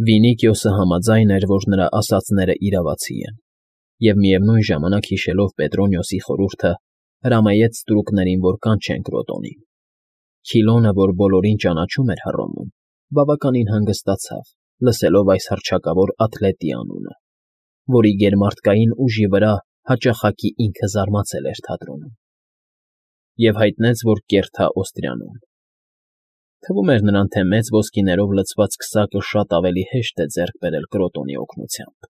Վինիկիոսը համաձայն էր, որ նրա ասածները իրավացի են, և միևնույն ժամանակ հիշելով Պետրոնիոսի խորհուրդը, հրամայեց ստրուկներին, որ կանչեն Կրոտոնին։ Քիլոնը, որ բոլորին ճանաչում էր Հռոմում, բավականին հանգստացավ, լսելով այս հռչակավոր աթլետի անունը, որի գերմարտկային ուժի վրա հաճախակի ինքը զարմացել էր թատրոնում, և հայտնեց, որ կերթա Օստրիանում։ Թվում էր նրան, թե մեծ ոսկիներով լցված քսակը շատ ավելի հեշտ է ձեռք բերել Կրոտոնի օգնությամբ։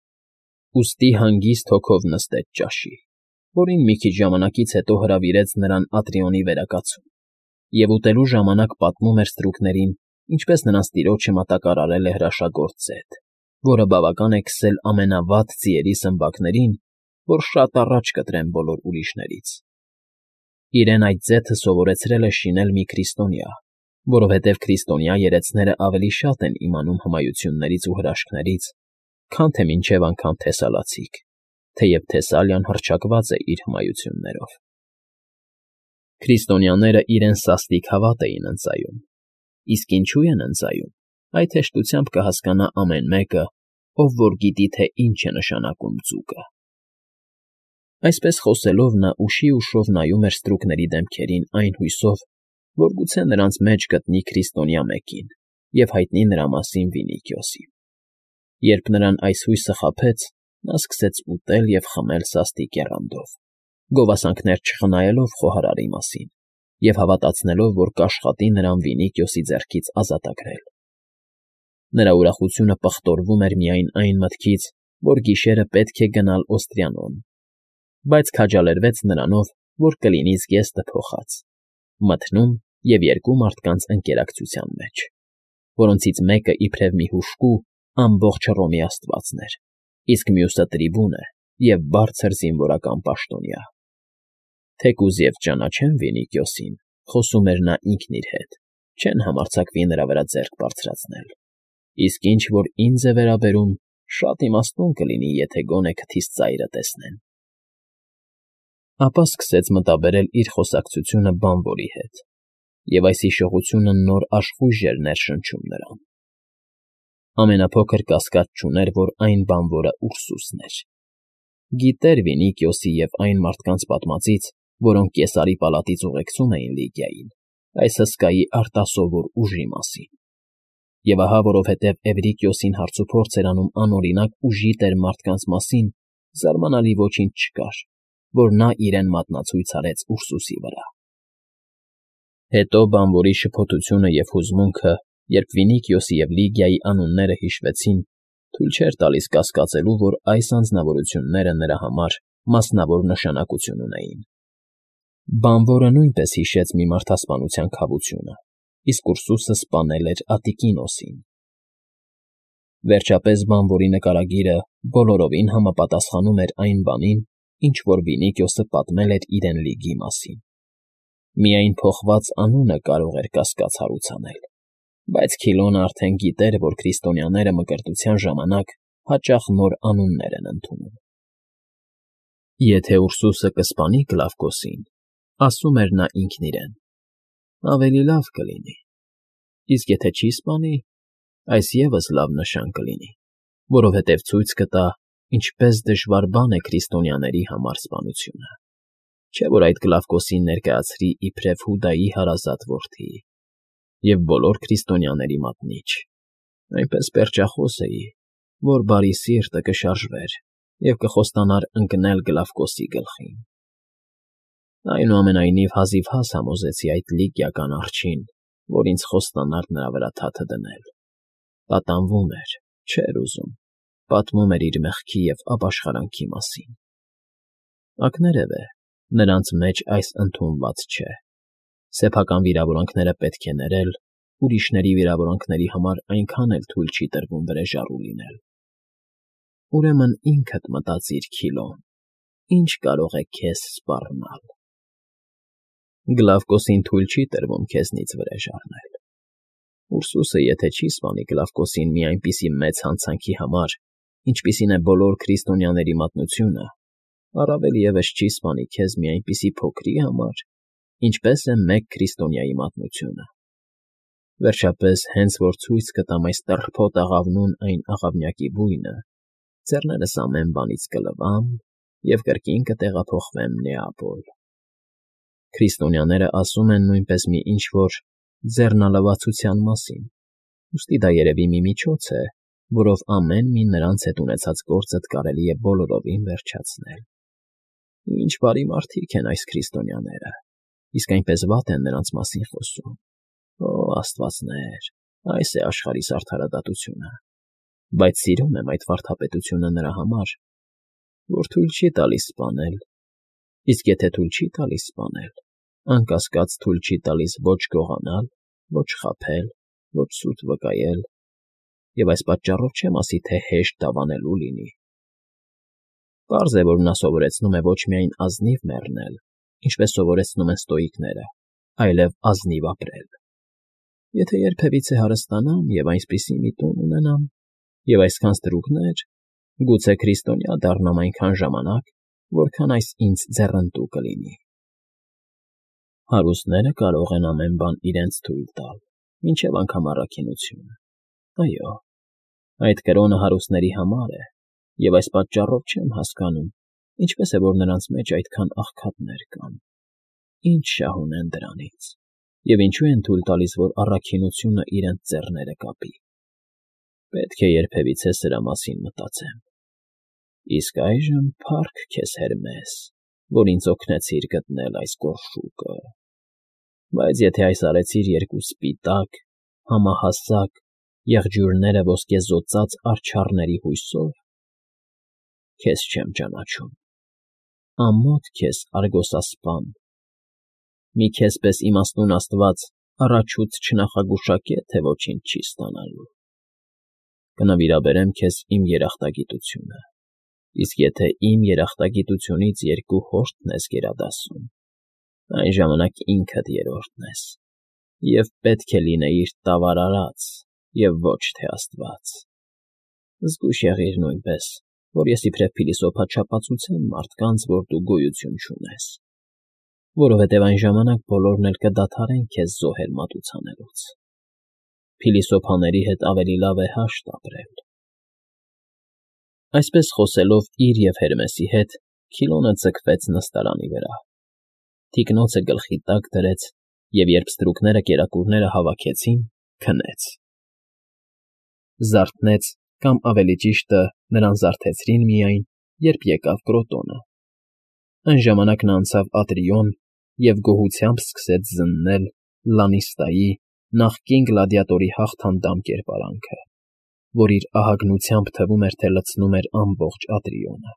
Ուստի հանգիստ հոգով նստեց ճաշի, որին մի քիչ ժամանակից հետո հրավիրեց նրան Ատրիոնի վերակացուն, և ուտելու ժամանակ պատմում էր ստրուկներին, ինչպես նրանց տիրոջը մատակարարել է հրաշագործ ձեթ, որը բավական է քսել ամենավատ ձիերի սմբակներին, որ շատ առաջ կտրեն բոլոր ուրիշներից։ Իրեն այդ ձեթը սովորեցրել է շինել մի քրիստոնյա, որովհետև քրիստոնյա երեցները ավելի շատ են իմանում հմայություններից ու հրաշքներից, քան թե մինչև անգամ թեսալացիք, թեև Թեսալիան հռչակված է իր հմայություններով։ Քրիստոնյաները իրեն սաստիկ հավատ էին ընծայում, իսկ ինչու են ընծայում, այդ հեշտությամբ կհասկանա ամեն մեկը, ով որ գիտի, թե ինչ է նշանակում ձուկը։ Այսպես խոսելով նա ուշի ուշով նայում էր ստրուկների դեմքերին այն հույսով, որ գուցե նրանց մեջ գտնի քրիստոնյա մեկին և հայտնի նրա մասին Վինիկիոսին։ Երբ նրան այս հույսը խաբեց, նա սկսեց ուտել և խմել սաստիկ եռանդով, գովասանքներ չխնայելով խոհարարի մասին և հավատացնելով, որ կաշխատի նրան Վինիկիոսի ձեռքից ազատագրել։ Նրա ուրախությունը պղտորվում էր միայն այն մտքից, որ գիշերը պետք է գնալ Օստրիանոն, բայց քաջալերվեց նրանով, որ կլինի զգեստը փոխած, մթնում և երկու մարդկանց ընկերակցության մեջ, որոնցից մեկը իբրև մի հուժկու ամբողջ Հռոմի աստվածն էր, իսկ մյուսը տրիբուն է և բարձր զինվորական պաշտոնյա։ Թեկուզ և ճանաչեն Վինիկիոսին, խոսում էր նա ինքն իր հետ, չեն համարձակվի նրա վրա ձեռք բարձրացնել, իսկ ինչ որ ինձ է վերաբերում, շատ իմաստուն կլինի, եթե գոնե քթիս ծայրը տեսնեն։ Ապա սկսեց մտաբերել իր խոսակցությունը բանվորի հետ, և այս հիշողությունը նոր աշխույժ էր ներշնչում նրան։ Ամենափոքր կասկած չուներ, որ այն բանվորը Ուրսուսն էր։ Գիտեր Վինիկիոսի և այն մարդկանց պատմածից, որոնք Կեսարի պալատից ուղեկցում էին Լիգիային, այս հսկայի արտասովոր ուժի մասին։ Եվ ահա որովհետև Էվրիկիոսին հարցուփորձ էր անում անօրինակ ուժի տեր մարդկանց մասին, զարմանալի ոչինչ չկար, որ նա իրեն մատնացույց արեց Ուրսուսի վրա։ Հետո բանվորի շփոթությունը և հուզմունքը, երբ Վինիկիոսի և Լիգիայի անունները հիշվեցին, թույլ չէր տալիս կասկածելու, որ այս անձնավորությունները նրա համար մասնավոր նշանակություն ունեին։ Բանվորը նույնպես հիշեց մի մարդասպանության քավությունը, իսկ Ուրսուսը սպանել էր Ատիկինոսին։ Վերջապես բանվորի նկարագիրը բոլորովին համապատասխանում էր այն բանին, ինչ որ Վինիկիոսը պատմել էր իրեն Լիգի մասին։ Միայն փոխված անունը կարող էր կասկած հարուցանել, բայց Քիլոնը արդեն գիտեր, որ քրիստոնյաները մկրտության ժամանակ հաճախ նոր անուններ են ընդունում։ Եթե Ուրսուսը կսպանի Կլավկոսին, ասում էր նա ինքն իրեն, ավելի լավ կլինի, իսկ եթե չի սպանի, այս ևս լավ նշան կլինի, որովհետև ցույց կտա, ինչպես դժվար բան է քրիստոնյաների համար սպանությունը, չէ՞ որ այդ Կլավկոսին ներկայացրի իբրև Հուդայի հարազատ որդի և բոլոր քրիստոնյաների մատնիչ, այնպես պերճախոս էի, որ բարի սիրտը կշարժվեր և կխոստանար ընկնել Կլավկոսի գլխին։ Այնուամենայնիվ հազիվհազ համոզեցի այդ լիգիական արջին, որ ինձ խոստանար նրա վրա թաթը դնել։ Պատանվում էր, չէր ուզում, պատմում էր իր մեղքի և ապաշխարանքի մասին։ Ակներևէ, նրանց մեջ այս ընդունված չէ։ Սեփական վիրավորանքները պետք է ներել, ուրիշների վիրավորանքների համար այնքան էլ թույլ չի տրվում վրեժառու լինել։ Ուրեմն ինքդ մտածիր, Քիլոն, ինչ կարող է քեզ սպառնալ։ Գլավկոսին թույլ չի տրվում քեզնից վրեժ առնել։ Ուրսուսը եթե չի սպանի Կլավկոսին մի այնպիսի մեծ հանցանքի համար, ինչպիսին է բոլոր քրիստոնյաների մատնությունը, առավել ևս չի սպանի քեզ մի այնպիսի փոքրի համար, ինչպես է մեկ քրիստոնյայի մատնությունը։ Վերջապես, հենց որ ցույց կտամ այս տռփոտ աղավնուն այն աղավնյակի բույնը, ձեռներս ամեն բանից կլվամ և կրկին կտեղափոխվեմ Նեապոլ։ Քրիստոնյաները ասում են նույնպես մի ինչ֊որ ձեռնալվացության մասին, ուստի դա երևի մի միջոց է, որով ամեն մի նրանց հետ ունեցած գործդ կարելի է բոլորովին վերջացնել։ Ինչ բարի մարդիկ են այս քրիստոնյաները, իսկ այնպես վատ են նրանց մասին խոսում։ Օ, աստվածներ, այս է աշխարհիս արդարադատությունը, բայց սիրում եմ այդ վարդապետությունը նրա համար, որ թույլ չի տալիս սպանել, իսկ եթե թույլ չի տալիս սպանել, անկասկած թույլ չի տալիս ոչ գողանալ, ոչ խաբել, ոչ սուտ վկայել, և այս պատճառով չեմ ասի, թե հեշտ դավանելու լինի։ Պարզ է, որ նա սովորեցնում է ոչ միայն ազնիվ մեռնել, ինչպես սովորեցնում են ստոիկները, այլև ազնիվ ապրել։ Եթե երբևիցե հարստանամ և այնպիսի մի տուն ունենամ, և այսքան ստրուկներ, գուցե քրիստոնյա դառնամ այնքան ժամանակ, որքան այս ինձ ձեռնտու կլինի։ Հարուստները կարող են ամեն բան իրենց թույլ տալ, մինչև անգամ առաքինությունը։ Այո, այդ կրոնը հարուստների համար է, և այս պատճառով չեմ հասկանում, ինչպես է, որ նրանց մեջ այդքան աղքատներ կան, ինչ շահ ունեն դրանից, և ինչու են թույլ տալիս, որ առաքինությունը իրենց ձեռները կապի։ Պետք է երբևիցե սրա մասին մտածեմ։ Իսկ այժմ փառք քեզ, Հերմես, որ ինձ օգնեցիր գտնել այս գորշուկը։ Բայց եթե այս արեցիր երկու սպիտակ, համահասակ, եղջյուրները ոսկեզօծած արջառների հույսով, քեզ չեմ ճանաչում։ Ամոթ քեզ, Արգոսասպան, մի քեզ պես իմաստուն աստված առաջուց չնախագուշակե, թե ոչինչ չի ստանալու։ Կնվիրաբերեմ քեզ իմ երախտագիտությունը, իսկ եթե իմ երախտագիտությունից երկու հորդն ես գերադասում, այն ժամանակ ինքդ երրորդն ես, և պետք է լինեիր տավար արած և ոչ թե աստված։ Զգույշ եղիր նույնպես, որ ես իբրև փիլիսոփա չապացուցեմ մարդկանց, որ դու գոյություն չունես, որովհետև այն ժամանակ բոլորն էլ կդադարեն քեզ զոհել մատուցանելուց։ Փիլիսոփաների հետ ավելի լավ է հաշտ ապրել։ Այսպես խոսելով իր և Հերմեսի հետ, Քիլոնը ձգվեց նստարանի վրա, թիկնոցը գլխի տակ դրեց և, երբ ստրուկները կերակուրները հավաքեցին, քնեց։ Զարթնեց, կամ ավելի ճիշտը, նրան զարթեցրին միայն, երբ եկավ Կրոտոնը։ Այն ժամանակ նա անցավ Ատրիոն և գոհությամբ սկսեց զննել Լանիստայի, նախկին գլադիատորի հաղթանդամ կերպարանքը, որ իր ահագնությամբ թվում էր, թե լցնում էր ամբողջ Ատրիոնը։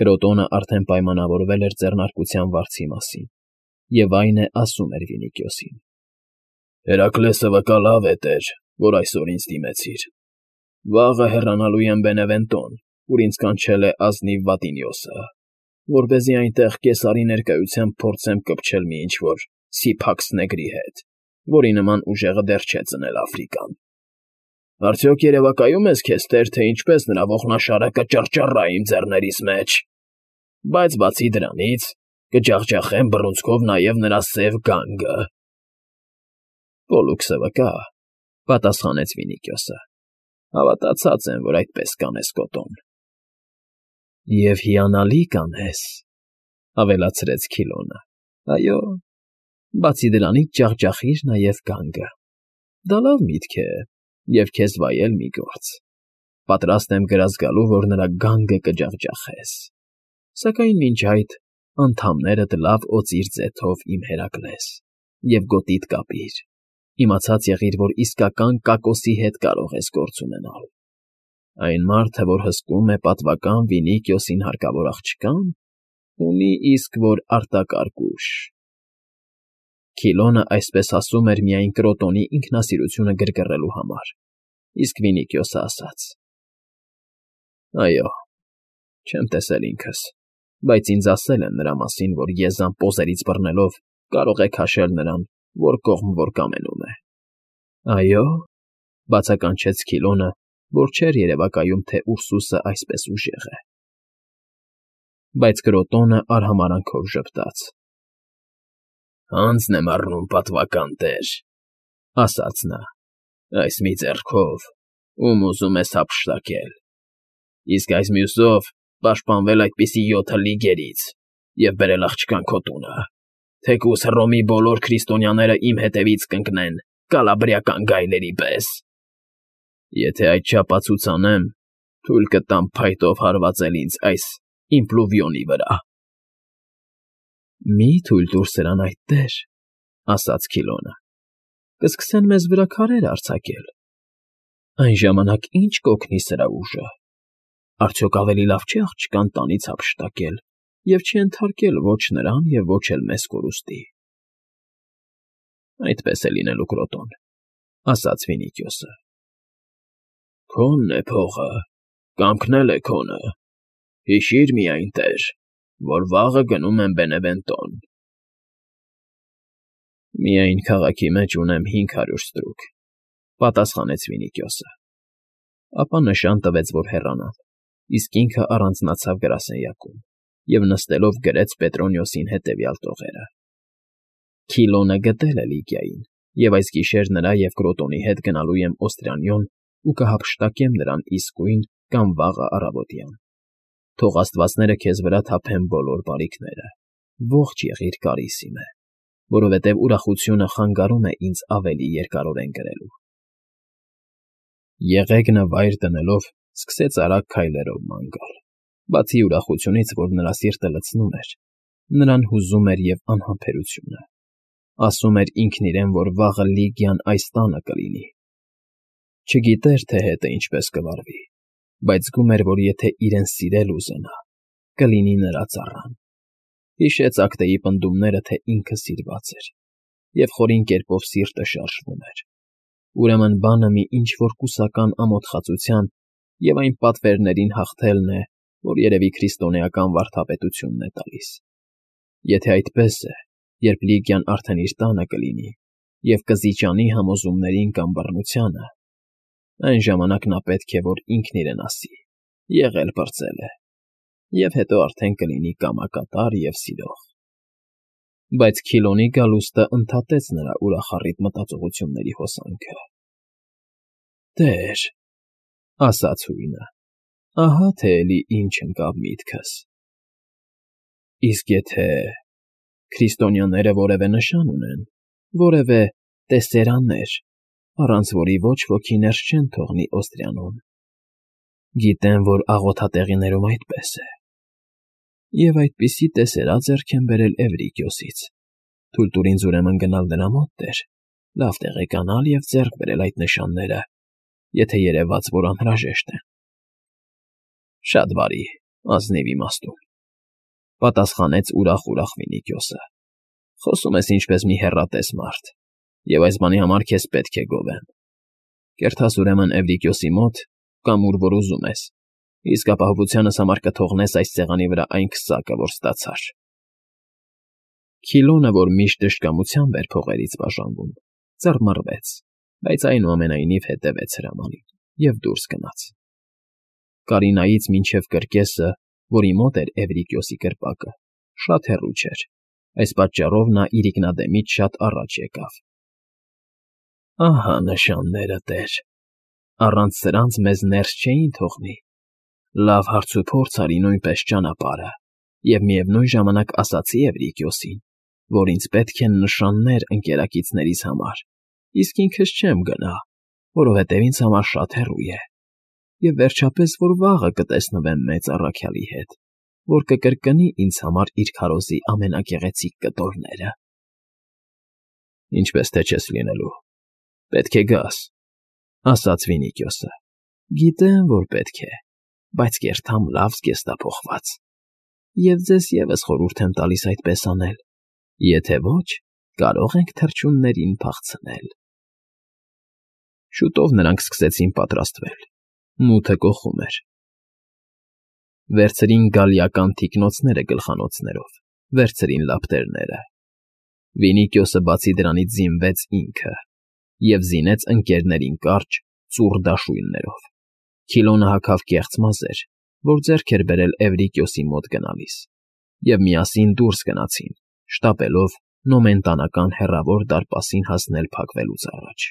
Կրոտոնը արդեն պայմանավորվել էր ձեռնարկության վարձի մասին, և այն է ասում էր Վինիքիոսին. «Հերակլեսը վկա լավ է, տեր, որ այսօր ինձ դիմեցիր։ Վաղը հեռանալու եմ Բենևենտոն, ուր ինձ կանչել է ազնիվ Վատինիոսը, որպեսզի այնտեղ կեսարի ներկայությամբ փորձեմ կպչել մի ինչ֊որ Սիփաքս նեգրի հետ, որի նման ուժեղը դեռ չէ ծնել Աֆրիկան։ Արդյոք երևակայում ես քեզ, տեր, թե ինչպես նրա ողնաշարը կճռճռա իմ ձեռներիս մեջ, բայց բացի դրանից կջախջախեմ բռունցքով նաև նրա սև գանգը»։ «Պոլլուքսը վկա,֊ պատասխանեց Վինիքիոսը,֊ հավատացած եմ, որ այդպես կանես, Կոտոն»։ «Եվ հիանալի կանես,֊ ավելացրեց Քիլոնը,֊ այո, բացի դրանից ջախջախիր նաև գանգը։ Դա լավ միտք է և քեզ վայել մի գործ։ Պատրաստ եմ գրազ գալու, որ նրա գանգը կջախջախես։ Սակայն մինչ այդ անդամներդ լավ օծիր ձեթով, իմ Հերակլես, և գոտիդ կապիր։ Իմացած եղիր, որ իսկական Կակոսի հետ կարող ես գործ ունենալ։ Այն մարդը, որ հսկում է պատվական Վինիքիոսին հարկավոր աղջկան, ունի իսկ որ արտակարգ ուժ»։ Քիլոնը այսպես ասում էր միայն Կրոտոնի ինքնասիրությունը գրգռելու համար, իսկ Վինիքիոսը ասաց. «Այո, չեմ տեսել ինքս, բայց ինձ ասել են նրա մասին, որ եզան պոզերից բռնելով կարող է քաշել նրան, որ կողմ որ կամենում է»։ «Այո՞,֊ բացականչեց Քիլոնը, որ չէր երևակայում, թե Ուրսուսը այսպես ուժեղ է։ Բայց Կրոտոնը արհամարհանքով ժպտաց. «Հանձն եմ առնում, պատվական տեր, ասաց նա, այս մի ձեռքով ում ուզում ես հափշտակել, իսկ այս մյուսով պաշտպանվել այդպիսի 7 լիգերից և բերել աղջկան քո տունը, թեկուզ Հռոմի բոլոր քրիստոնյաները իմ հետևից կընկնեն կալաբրիական գայլերի պես։ Եթե այդչափ անեմ, թույլ կտամ փայտով հարվածել ինձ այս իմպլուվիոնի վրա։ Մի թույլ տուր սրան այդտեղ, ասաց Քիլոնը, կսկսեն մեզ վրա քարեր արձակել, այն ժամանակ ի՞նչ կօգնի սրա ուժը, արդյոք ավելի լավ չէ աղջկան տանից հափշտակել և չենթարկել ոչ նրան և ոչ էլ մեզ կորուստի։ Այդպես է լինելու, Կրոտոն, ասաց Վինիքիոսը։ Քոնն է փողը, կամքն էլ է քոնը, հիշիր միայն, տեր, որ վաղը գնում եմ Բենևենտոն։ Միայն քաղաքի մեջ ունեմ 500 ստրուկ, պատասխանեց Վինիքիոսը, ապա նշան տվեց, որ հեռանան, իսկ ինքը առանձնացավ գրասենյակում և նստելով գրեց Պետրոնիոսին հետևյալ տողերը. Քիլոնը գտել է Լիգիային, և այս գիշեր նրա և Կրոտոնի հետ գնալու եմ Օստրիանիոն ու կհափշտակեմ նրան իսկույն կամ վաղը առավոտյան։ Թող աստվածները քեզ վրա թափեն բոլոր բարիքները, ողջ եղիր Կարիսիմե, որովհետև ուրախությունը խանգարում է ինձ ավելի երկարորեն գրելու։ Եղեգնը վայր դնելով սկսեց արագ քայլերով ման գալ, բացի ուրախությունից, որ նրա սիրտը լցնում էր, նրան հուզում էր և անհամբերությունը։ Ասում էր ինքն իրեն, որ վաղը Լիգիան այս տանը կլինի։ Չգիտեր, թե հետը ինչպես կվարվի, բայց զգում էր, որ եթե իրեն սիրել ուզենա, կլինի նրա ծառան։ Հիշեց Ակտեի պնդումները, թե ինքը սիրված էր, և խորին կերպով սիրտը շարժվում էր։ Ուրեմն բանը մի ինչ֊որ կուսական ամոթխածության և այն պատվերներին հաղթելն է, որ երևի քրիստոնեական վարդապետությունն է տալիս։ Եթե այդպես է, երբ Լիգիան արդեն իր տանը կլինի և կզիջանի համոզումներին կամ բռնությանը, այն ժամանակ նա պետք է, որ ինքն իրեն ասի. եղել պրծել է, և հետո արդեն կլինի կամակատար և սիրող։ Բայց Քիլոնի գալուստը ընդհատեց նրա ուրախառիտ մտածողությունների հոսանքը։ Տեր, ասաց հույնը, ահա թե էլի ինչ ընկավ միտքս։ Իսկ եթե քրիստոնյաները որևէ նշան ունեն, որևէ տեսերաններ, առանց որի ոչ ոքի ներս չեն թողնի Օստրիանոն, գիտեմ, որ աղոթատեղիներում այդպես է, և այդպիսի տեսերա ձեռք եմ բերել Էվրիկիոսից, թույլ տուր ինձ ուրեմն գնալ նրա մոտ, տեր, լավ տեղեկանալ և ձեռք բերել այդ նշանները, եթե երևաց, որ անհրաժեշտ են։ Շատ բարի, ազնիվ իմաստուն, պատասխանեց ուրախ Վինիքիոսը, խոսում ես ինչպես մի հեռատես մարդ, և այս բանի համար քեզ պետք է գովեմ։ Կերթաս ուրեմն Էվրիկիոսի մոտ, կամ ուր որ ուզում ես, իսկ ապահովությանս համար կթողնես այս սեղանի վրա այն քսակը, որ ստացար։ Քիլոնը, որ միշտ դժկամությամբ էր փողերից բաժանվում, ծռմռվեց, բայց այնուամենայնիվ հետևեց հրամանին և դուրս գնաց։ Կարինայից մինչև կրկեսը, որի մոտ էր Էվրիկիոսի կրպակը, շատ հեռու չէր, այս պատճառով նա իրիկնադեմից շատ առաջ եկավ։ Ահա նշանները, տեր, առանց սրանց մեզ ներս չէին թողնի։ Լավ հարցուփորձ արի նույնպես ճանապարհը և միևնույն ժամանակ ասացի Էվրիկիոսին, որ ինձ պետք են նշաններ ընկերակիցներիս համար, իսկ ինքս չեմ գնա, որովհետև ինձ համար շատ հեռու է, և վերջապես, որ վաղը կտեսնվեմ մեծ առաքյալի հետ, որ կկրկնի ինձ համար իր քարոզի ամենագեղեցիկ կտորները։ Ինչպես թե չես լինելու, պետք է գաս, ասաց Վինիքիոսը։ Գիտեմ, որ պետք է, բայց կերթամ լավ զգեստափոխված, և ձեզ ևս խորհուրդ եմ տալիս այդպես անել, եթե ոչ, կարող ենք թռչուններին փախցնել։ Շուտով նրանք սկսեցին պատրաստվել, մութը կոխում էր։ Վերցրին գալիական թիկնոցները գլխանոցներով, վերցրին լապտերները։ Վինիքիոսը բացի դրանից զինվեց ինքը և զինեց ընկերներին կարճ, ծուռ դաշույններով։ Քիլոնը հագավ կեղծ մազեր, որ ձեռք էր բերել Էվրիկիոսի մոտ գնալիս, և միասին դուրս գնացին, շտապելով, նոմենտանական հեռավոր դարպասին հասնել փակվելուց առաջ։